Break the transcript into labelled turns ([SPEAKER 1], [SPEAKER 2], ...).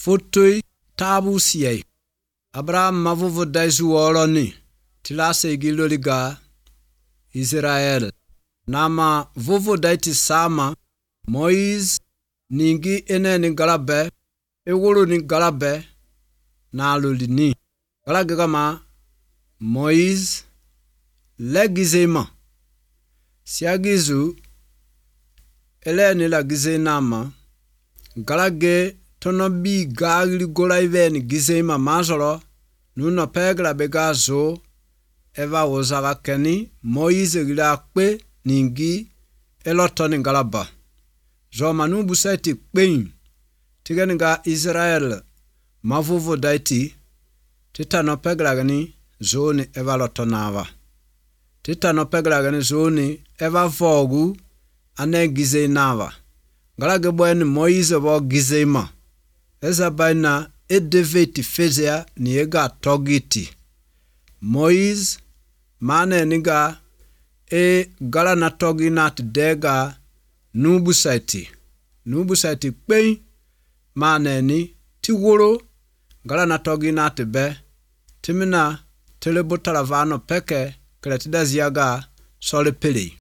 [SPEAKER 1] fotoi tabu siye. Abraham mavuvu daisu woroni tilase giloliga Israel. Nama vuvu daiti sama Moise ningi ene ni galabe ewuru ni galabe na alolini. Galagama Moise legizema siagizu ele ni la gizenama galage tonobi gagli golaiven gizema mazolo nuno pegla begazo eva wozaga keni Moise gila kpe ningi elotoni galaba zoma nubu saiti kpein tiganiga Israel mavuvu daiti titano pegla gani zoni eva lotonava titano pegla gani zoni eva vogu ane gizenava galage bwen Moise bo gizema eza baina edeveti fezea ni ega togiti Moise mane niga gala na togi nat dega nubu saiti kpein mane ni tiworo gala na togi nat be timina telebutalavano peke kretida ziaga sole peli.